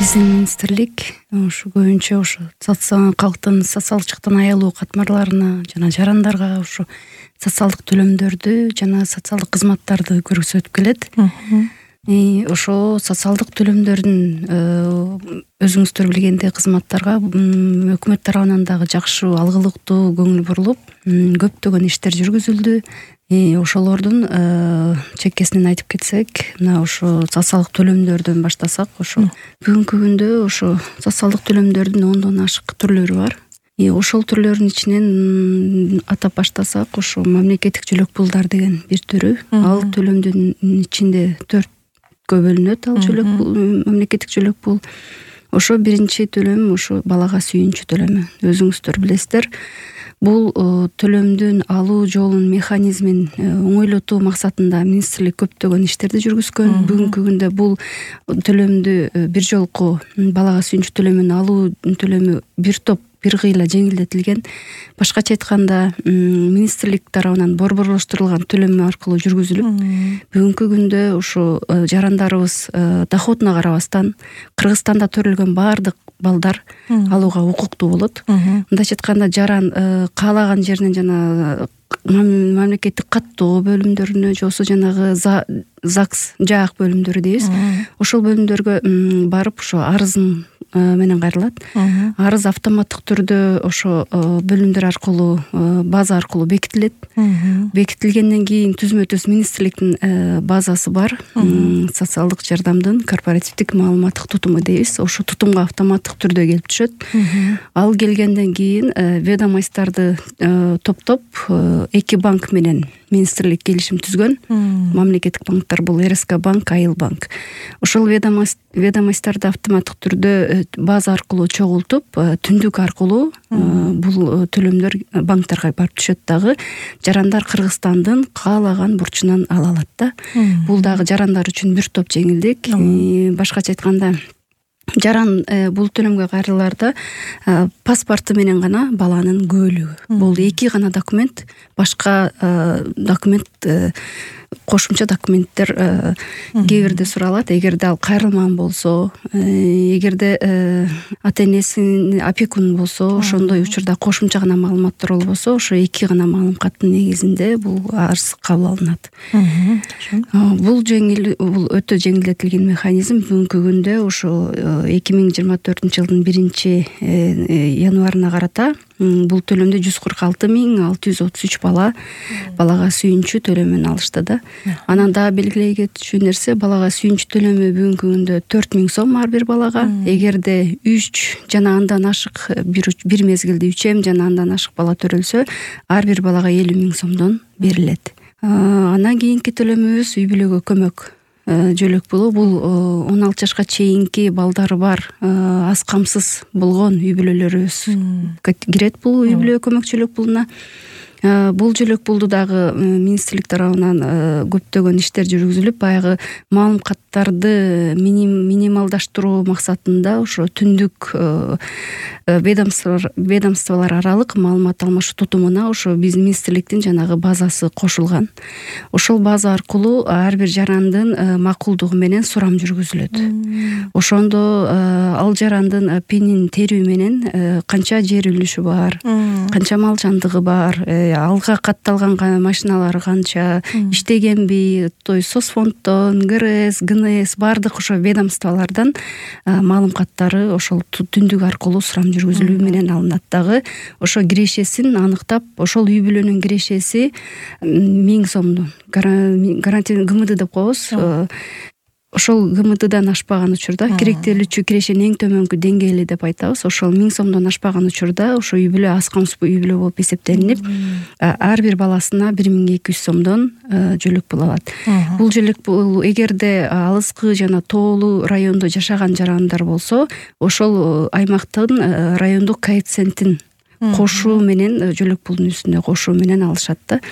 Биздин министрлик ушу көбүнчө ушу калктын социалдык жактан аялуу катмарларына жана жарандарга ушу социалдык төлөмдөрдү жана социалдык кызматтарды көрсөтүп келет. Ошо социалдык төлөмдөрдүн өзүңүздөр билгендей кызматтарга өкмөт тарабынан дагы жакшы алгылыктуу көңүл бурулуп, көптөгөн иштер жүргүзүлдү. Ошолордун чекесинен айтып кетсек, мына ошо социалдык төлөмдөрдөн баштасак, ошо бүгүнкү күндө ошо социалдык төлөмдөрдүн 10дон ашык түрлөрү бар. Ошол түрлөрдүн ичинен атап баштасак, ошо мамлекеттик жөлөк пулдар деген бир түрү. Ал төлөмдүн ичинде 4кө бөлүнөт. Ал мамлекеттик жөлөк пул. Ошо биринчи төлөм ошо балага сүйүнчү төлөмү. Өзүңүздөр билесиздер. Бул төлөмдүн алуу жолун, механизмин оңойлотуу максатында министрлик көптөгөн иштерди жүргүзгөн. Бүгүнкү күндө бул төлөмдү бир жолку балага сүйүнчү төлөмүн алуу төлөмү бир кыйла жеңилдетилген. Башкача айтканда, министрлик тарабынан борборлоштурулган төлөм аркылуу жүргүзүлүп, бүгүнкү күндө ушу жарандарыбыз доходуна карабастан Кыргызстанда төрөлгөн баардык балдар алууга укуктуу болот. Мындайча айтканда, жаран каалаган жеринен жана мамлекеттик каттоо бөлүмдөрүнө же болбосо жанагы ЗАГС жаак бөлүмдөрү дейбиз. Ошол бөлүмдөргө барып ошо арызын менен кайрылат. Арыз автоматтык түрдө ошо бөлүмдөр аркылуу, база аркылуу бекитилет. Бекитилгенден кийин түзмө-түз министрликтин базасы бар. Социалдык жардамдын корпоративдик маалыматтык тутуму дейбиз. Ошо тутумга автоматтык түрдө келип түшөт. Ал келгенден кийин ведомостьтарды топтоп 2 банк менен министрлик келишим түзгөн. Мамлекеттик банктар бул РСК банк, Айыл банк. Ошол ведомостьтарды автоматтык түрдө база аркылуу чогултуп, түндүк аркылуу бул төлөмдөр банктарга барып түшөт дагы. Жарандар Кыргызстандын каалаган бурчунан ала алат да. Бул дагы жарандар үчүн бир топ жеңилдик. Башкача айтканда, жаран бул төлөмгө кайрылаарда паспорту менен гана баланын куөлүгү. Бул 2 гана документ, башка документ, кошумча документтер кээ бирде суралат. Эгерде ал кайрылмаган болсо, эгерде ата-энесинин опекун болсо, ошондой учурда кошумча гана маалыматтар болбосо, ошо 2 гана маалыматтын негизинде бул арыз кабыл алынат. Бул өтө жеңилдетилген механизм. Бүгүнкү күндө ошо 2024-жылдын 1-январына карата бул төлөмдү 146,633 балага сүйүнчү төлөмүн алышты да. Анан дагы белгилей кетчү нерсе, балага сүйүнчү төлөмү бүгүнкү күндө 4000 сом ар бир балага. Эгерде 3 жана андан ашык бир мезгилде 3 жана андан ашык бала төрөлсө, ар бир балага 50,000 сомдон берилет. Андан кийинки төлөмүбүз үй бүлөгө көмөк жөлөк пулу. Бул 16 жашка чейинки балдары бар, аз камсыз болгон үй бүлөлөрүбүз кирет бул үй бүлө көмөк жөлөк пулуна. Бул жөлөк пулду дагы министрлик тарабынан көптөгөн иштер жүргүзүлүп, баягы маалыматтарды минималдаштыруу максатында ошо түндүк ведомстволор аралык маалымат алмашуу тутумуна ошо биздин министрликтин жанагы базасы кошулган. Ошол база аркылуу ар бир жарандын макулдугу менен сурам жүргүзүлөт. Ошондо ал жарандын пенин терүү менен канча жер үлүшү бар, канча мал жандыгы бар, алга катталган машиналары канча, иштегенби, соцфонддон, ГРС, ГНС баардык ошо ведомстволордон маалыматтары ошол түндүк аркылуу сурам жүргүзүлүү менен алынат дагы. Ошо кирешесин аныктап, ошол үй бүлөнүн кирешеси 1000 сомдон гарантия ГМД деп коебуз. Ошол ГМДдан ашпаган учурда, керектелүүчү кирешенин эң төмөнкү деңгээли деп айтабыз. Ошол 1000 сомдон ашпаган учурда ошо үй бүлө аз камсыз үй бүлө болуп эсептелинип, ар бир баласына 1200 сомдон жөлөк пул алат. Бул жөлөк пул эгерде алыскы жана тоолуу райондо жашаган жарандар болсо, ошол аймактын райондук коэффициентин кошуу менен жөлөк пулдун үстүнө кошуу менен алышат да.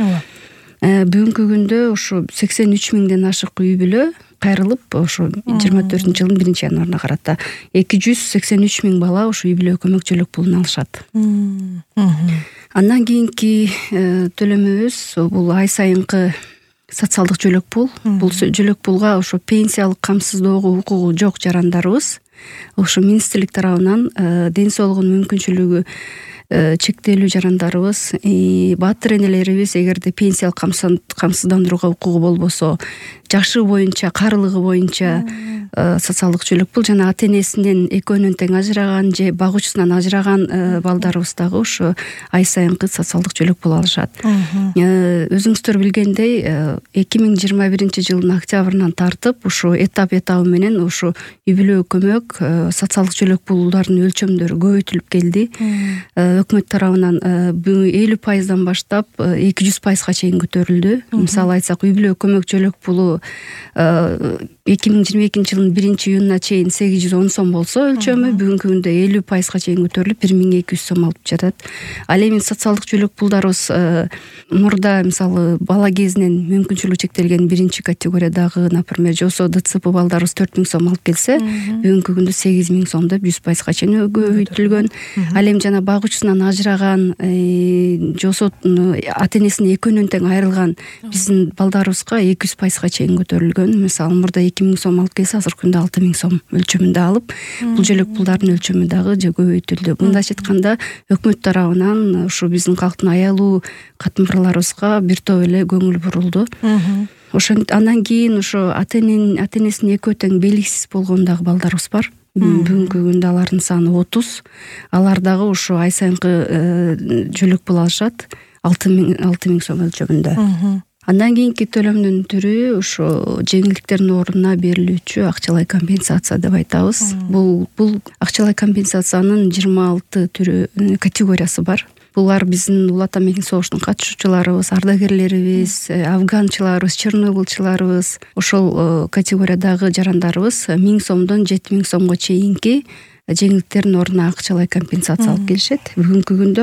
Бүгүнкү күндө ошо 83,000ден ашык үй бүлө кайрылып, ошо 24-жылдын 1-январына карата 283,000 бала ошо үй бүлө көмөк жөлөк пулун алышат. Андан кийинки төлөмүбүз бул ай сайынкы социалдык жөлөк пул. Бул жөлөк пулга ошо пенсиялык камсыздоого укугу жок жарандарыбыз ошо министрлик тарабынан ден соолугунун мүмкүнчүлүгү чектелүү жарандарыбыз, баатыр энелерибиз эгерде пенсиялык камсыздандырууга укугу болбосо, жашы боюнча, каарылыгы боюнча социалдык жөлөк пул жана ата энесинен экөөнөн тең ажыраган же багуучусунан ажыраган балдарыбыз дагы ошо ай сайынкы социалдык жөлөк пул алышат. Өзүңүздөр билгендей 2021-жылдын октябрынан тартып ушу этап менен ушу үй бүлө көмөк, социалдык жөлөк пулдардын өлчөмдөрү көбөйтүлүп келди. Өкмөт тарабынан 50% баштап 200%га чейин көтөрүлдү. Мисалы айтсак, үй бүлө көмөк жөлөк пулу 2022-жылдын 1-июнуна чейин 810 сом болсо өлчөмү, бүгүнкү күндө 50%га чейин көтөрүлүп 1200 сом алып жатат. Ал эми социалдык жөлөк пулдарыбыз мурда мисалы бала кезинен мүмкүнчүлүгү чектелген 1-категориядагы, например, жосо ДЦП балдарыбыз 4000 сом алып келсе, бүгүнкү күндө 8000 сом деп 100%га чейин көбөйтүлгөн. Ал эми жана багуучусунан ажыраган, жосо ата энесинин экөөнөн тең айрылган биздин балдарыбызга 200%га чейин көтөрүлгөн. Мисалы мурда 2000 сом алып келсе, азыркы күндө 6000 сом өлчөмүндө алып, бул жөлөк пулдардын өлчөмү дагы көбөйтүлдү. Мындайча айтканда, өкмөт тарабынан ушу биздин калктын аялуу катмарларыбызга бир топ эле көңүл бурулду. Андан кийин ошо ата энесинин экөө тең белгисиз болгон дагы балдарыбыз бар. Бүгүнкү күндө алардын саны 30. Алар дагы ошо ай сайынкы жөлөк пул алышат 6000 сом өлчөмүндө. Андан кийинки төлөмдүн түрү ошо жеңилдиктердин ордуна берилүүчү акчалай компенсация деп айтабыз. Бул акчалай компенсациянын 26 түрү категориясы бар. Булар биздин Улуу Ата Мекен согуштун катышуучуларыбыз, ардагерлерибиз, афганчыларыбыз, чернобылчыларыбыз, ошол категориядагы жарандарыбыз 1000 сомдон 7000 сомго чейинки жеңилдиктердин ордуна акчалай компенсация алып келишет. Бүгүнкү күндө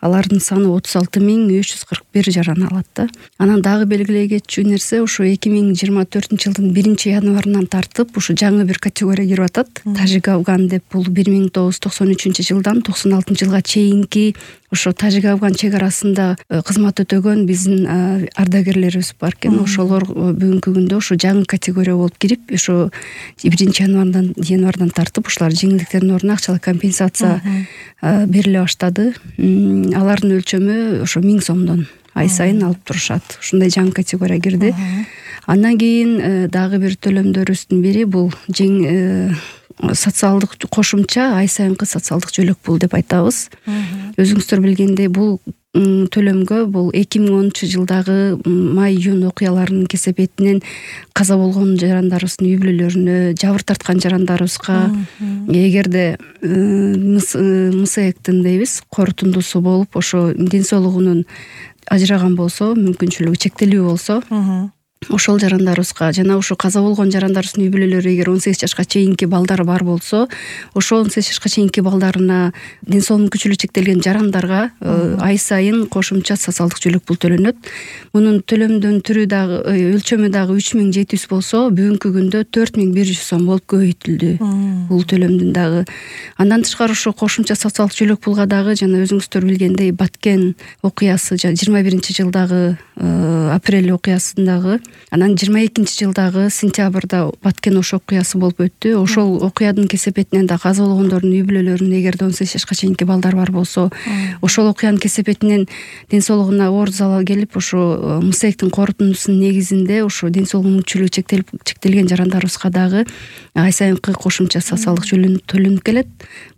алардын саны 36341 жаран алат да. Анан дагы белгилей кетчү нерсе, ошо 2024-жылдын 1-январынан тартып ушу жаңы бир категория кирип атат. Тажик афган деп, бул 1993-жылдан 96-жылга чейинки ошо тажик афган чек арасында кызмат өтөгөн биздин ардагерлерибиз бар экен. Ошолор бүгүнкү күндө ошо жаңы категория болуп кирип, ошо 1-январдан тартып ушулар жеңилдиктердин ордуна акчалай компенсация бериле баштады. Алардын өлчөмү ошо 1000 сомдон ай сайын алып турушат. Ушундай жаңы категория кирди. Андан кийин дагы бир төлөмдөрүбүздүн бири бул социалдык кошумча ай сайынкы социалдык жөлөк пул деп айтабыз. Өзүңүздөр билгендей, бул төлөмгө бул 2010-жылдагы май-июнь окуяларынын кесепетинен каза болгон жарандарыбыздын үй бүлөлөрүнө, жабыр тарткан жарандарыбызга эгерде МСЭКтин дейбиз, корутундусу болуп, ошо ден соолугунун ажыраган болсо, мүмкүнчүлүгү чектелүү болсо, ошол жарандарыбызга жана ошо каза болгон жарандарыбыздын үй бүлөлөрү эгер 18 жашка чейинки балдары бар болсо, ошол 18 жашка чейинки балдарына, ден соолугу мүмкүнчүлүгү чектелген жарандарга ай сайын кошумча социалдык жөлөк пул төлөнөт. Мунун төлөмдүн түрү дагы, өлчөмү дагы 3700 болсо, бүгүнкү күндө 4100 сом болуп көбөйтүлдү бул төлөмдүн дагы. Андан тышкары ошо кошумча социалдык жөлөк пулга дагы жана өзүңүздөр билгендей Баткен окуясы 21-жылдагы апрель окуясындагы, анан 22-жылдагы сентябрда Баткен ошо окуясы болуп өттү. Ошол окуядын кесепетинен да каза болгондордун үй бүлөлөрүнүн эгерде 18 жашка чейинки балдар бар болсо, ошол окуянын кесепетинен ден соолугуна оор залал келип, ошо МСЭКтин корутундусунун негизинде ошо ден соолугу мүмкүнчүлүгү чектелген жарандарыбызга дагы ай сайынкы кошумча социалдык жөлөк төлөнүп келет.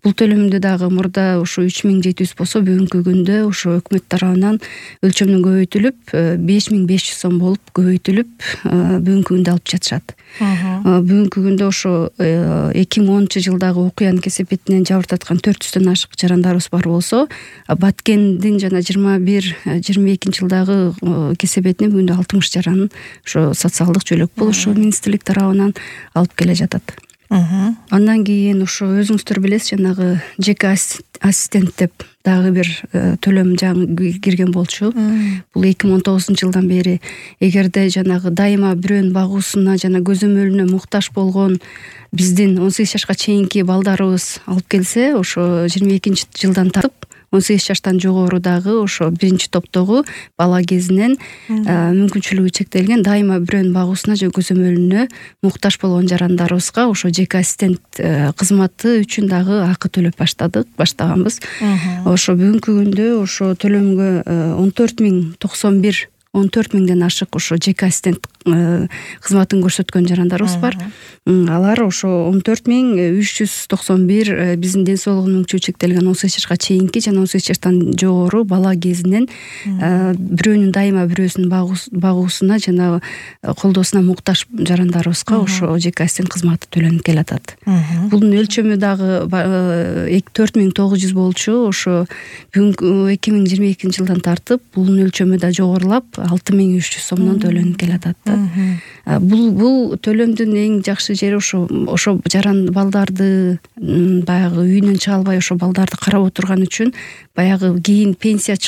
Бул төлөмдү дагы мурда ошо 3700 болсо, бүгүнкү күндө ошо өкмөт тарабынан өлчөмү көбөйтүлүп 5500 сом болуп көбөйтүлүп бүгүнкү күндө алып жатышат. Бүгүнкү күндө ошо 2010-жылдагы окуянын кесепетинен жабыр тарткан 400дөн ашык жарандарыбыз бар болсо, Баткендин жана 21-22-жылдагы кесепетинен бүгүндө 60 жаран ошо социалдык жөлөк пул ошо министрлик тарабынан алып келе жатат. Андан кийин ошо өзүңүздөр билесиз, жанагы жеке ассистент деп дагы бир төлөм жаңы кирген болчу. Бул 2019-жылдан бери эгерде жанагы дайыма бирөөнүн багуусуна жана көзөмөлүнө муктаж болгон биздин 18 жашка чейинки балдарыбыз алып келсе, ошо 22-жылдан тартып 18 жаштан жогору дагы ошо биринчи топтогу бала кезинен мүмкүнчүлүгү чектелген дайыма бирөөнүн багуусуна же көзөмөлүнө муктаж болгон жарандарыбызга ошо жеке ассистент кызматы үчүн дагы акы төлөп баштаганбыз. Ошо бүгүнкү күндө ошо төлөмгө 14 миңден ашык ошо жеке ассистент кызматын көрсөткөн жарандарыбыз бар. Алар ошо 14.391 биздин ден соолугу мүмкүнчүлүгү чектелген 18 жашка чейинки жана 18 жаштан жогору бала кезинен бирөөнүн дайыма бирөөсүнүн багуусуна жана колдоосуна муктаж жарандарыбызга ошо жеке ассистент кызматы төлөнүп келатат. Бунун өлчөмү дагы 4900 болчу. Ошо бүгүнкү 2022 жылдан тартып бунун өлчөмү да жогорулап 6300 сомдон төлөнүп келатат. Бул төлөмдүн эң жакшы жери ошо балдарды баягы үйүнөн чыга албай ошо балдарды карап отурган үчүн баягы кийин пенсияга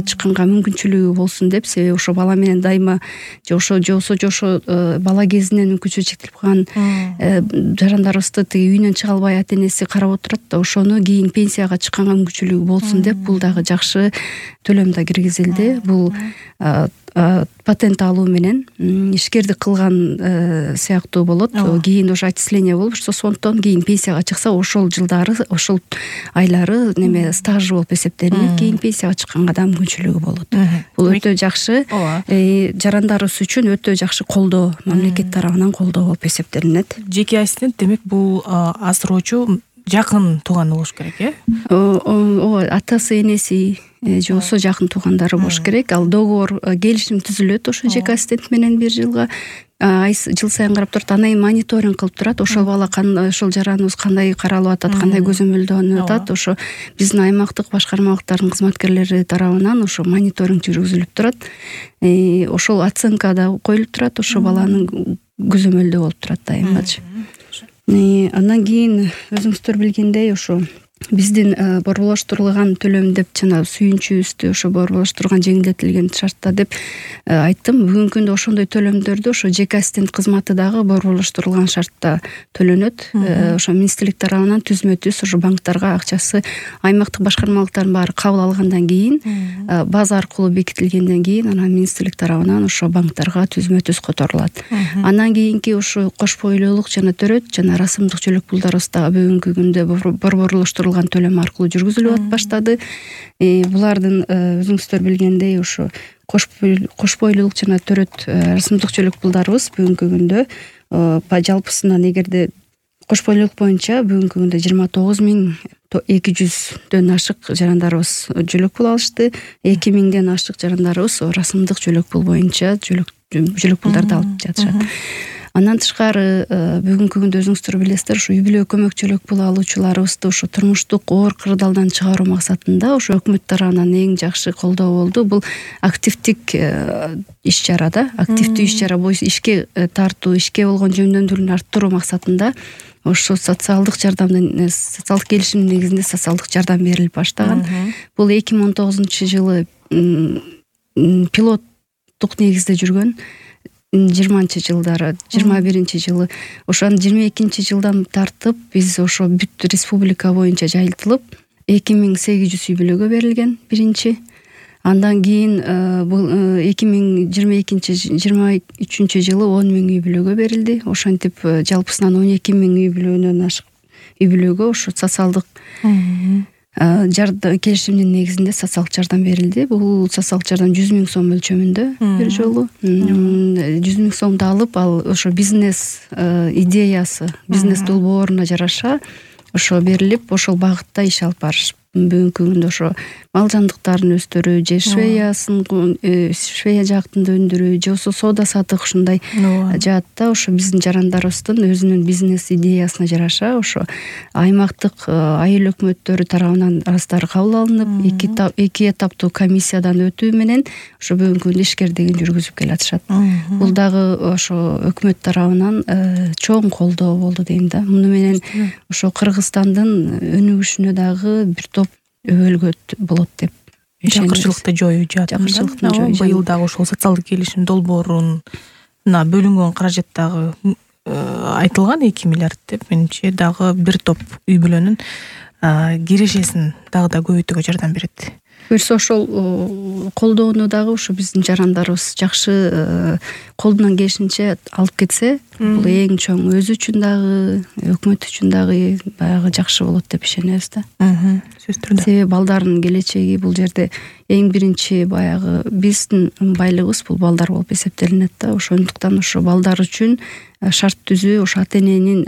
чыкканга мүмкүнчүлүгү болсун деп, себеби ошо бала менен дайыма жошо бала кезинен мүмкүнчүлүгү чектелип калган жарандарыбызды тиги үйүнөн чыга албай ата энеси карап отурат да, ошону кийин пенсияга чыкканга мүмкүнчүлүгү болсун деп бул дагы жакшы төлөм да киргизилди. Бул патент алуу менен ишкердик кылган сыяктуу болот. Кийин ошо отчисление болуп сондуктан кийин пенсияга чыкса ошол жылдары ошол айлары неме стажы болуп эсептелинет, кийин пенсияга чыкканга да мүмкүнчүлүгү болот. Бул өтө жакшы, жарандарыбыз үчүн өтө жакшы колдоо, мамлекет тарабынан колдоо болуп эсептелинет. Жеке ассистент демек бул асыроочу жакын тууган болуш керек, ооба, атасы энеси же болбосо жакын туугандары болуш керек. Ал договор келишим түзүлөт ошо жеке ассистент менен 1 жылга, жыл сайын карап турат, анан кийин мониторинг кылып турат. Ошол бала ошол жараныбыз кандай каралып атат, кандай көзөмөлдөнүп атат. Ошо биздин аймактык башкармалыктардын кызматкерлери тарабынан ошо мониторинг жүргүзүлүп турат. Ошол оценка да коюлуп турат, ошо баланын көзөмөлдөө болуп турат дайымачы. Андан кийин өзүңүздөр билгендей ошо биздин борборлоштурулган төлөм деп жана сүйүнчүбүздү ошо борборлоштурган жеңилдетилген шартта деп айттым. Бүгүнкү күндө ошондой төлөмдөрдү ошо жеке ассистент кызматы дагы борборлоштурулган шартта төлөнөт. Ошо министрлик тарабынан түзмө-түз ошо банктарга акчасы аймактык башкармалыктардын баары кабыл алгандан кийин, база аркылуу бекитилгенден кийин анан министрлик тарабынан ошо банктарга түзмө-түз которулат. Андан кийинки ошо кош бойлуулук жана төрөт жана расымдык жөлөк пулдарыбыз дагы бүгүнкү күндө борборлоштурулган төлөм аркылуу жүргүзүлүп баштады. Булардын өзүңүздөр билгендей ошо кош бойлуулук жана төрөт расымдык жөлөк пулдарыбыз бүгүнкү күндө жалпысынан эгерде кош бойлуулук боюнча бүгүнкү күндө 29.200дөн ашык жарандарыбыз жөлөк пул алышты. 2000ден ашык жарандарыбыз расымдык жөлөк пул боюнча жөлөк пулдарды алып жатышат. Андан тышкары бүгүнкү күндө өзүңүздөр билесиздер, ошо үй бүлө көмөк жөлөк пул алуучуларыбызды ошо турмуштук оор кырдаалдан чыгаруу максатында ошо өкмөт тарабынан эң жакшы колдоо болду. Бул активдик иш-чара да, активдүү иш-чара боюнча ишке тартуу, ишке болгон жөндөмдүүлүгүн арттыруу максатында ошо социалдык келишимдин негизинде социалдык жардам берилип баштаган. Бул 2019-жылы пилоттук негизде жүргөн. 20-жылдары, 21-жылы, ошон 22-жылдан тартып биз ошо бүт республика боюнча жайылтылып 2800 үй бүлөгө берилген биринчи. Андан кийин бул 2023 жылы 10 000 үй бүлөгө берилди. Ошентип жалпысынан 12 000 үй бүлөнөн ашык үй бүлөгө ошо социалдык келишимдин негизинде социалдык жардам берилди. Бул социалдык жардам 100 000 сом өлчөмүндө бир жолу. 100 000 сомду алып, ал ошо бизнес идеясы, бизнес долбооруна жараша ошо берилип, ошол багытта иш алып барыш. Бүгүнкү күндө ошо мал жандыктарын өстүрүү, же швея жактында өндүрүү, же болбосо соода сатык ушундай жаатта ошо биздин жарандарыбыздын өзүнүн бизнес идеясына жараша ошо аймактык айыл өкмөттөрү тарабынан арыздары кабыл алынып, эки этаптуу комиссиядан өтүү менен ошо бүгүнкү күндө ишкердигин жүргүзүп келатышат. Бул дагы ошо өкмөт тарабынан чоң колдоо болду дейм да. Муну менен ошо Кыргызстандын өнүгүшүнө дагы бир топ өбөлгөт болот деп жакырчылыкты жоюу жаатында. Быйыл дагы ошол социалдык келишим долбооруна бөлүнгөн каражат дагы айтылган 2 миллиард деп. Менимче дагы бир топ үй бүлөнүн кирешесин дагы да көбөйтүүгө жардам берет. Буюрса ошол колдоону дагы ушу биздин жарандарыбыз жакшы колунан келишинче алып кетсе, бул эң чоң өзү үчүн дагы, өкмөт үчүн дагы баягы жакшы болот деп ишенебиз да. Сөзсүз түрдө. Себеби балдардын келечеги бул жерде эң биринчи баягы биздин байлыгыбыз бул балдар болуп эсептелинет да. Ошондуктан ошо балдар үчүн шарт түзүү, ошо ата эненин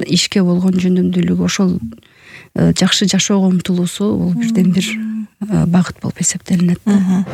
ишке болгон жөндөмдүүлүгү, ошол жакшы жашоого умтулуусу бул бирден бир багыт болуп эсептелинет да.